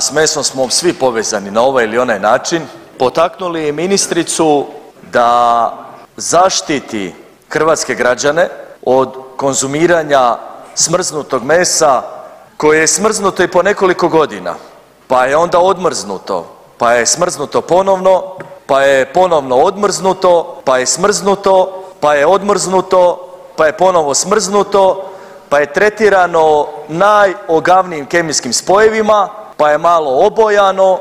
S mesom smo svi povezani na ovaj ili onaj način, potaknuli ministricu da zaštiti hrvatske građane od konzumiranja smrznutog mesa koje je smrznuto i po nekoliko godina, pa je onda odmrznuto, pa je smrznuto ponovno, pa je ponovno odmrznuto, pa je smrznuto, pa je odmrznuto, pa je ponovo smrznuto, pa je tretirano najogavnijim kemijskim spojevima, pa je malo obojano,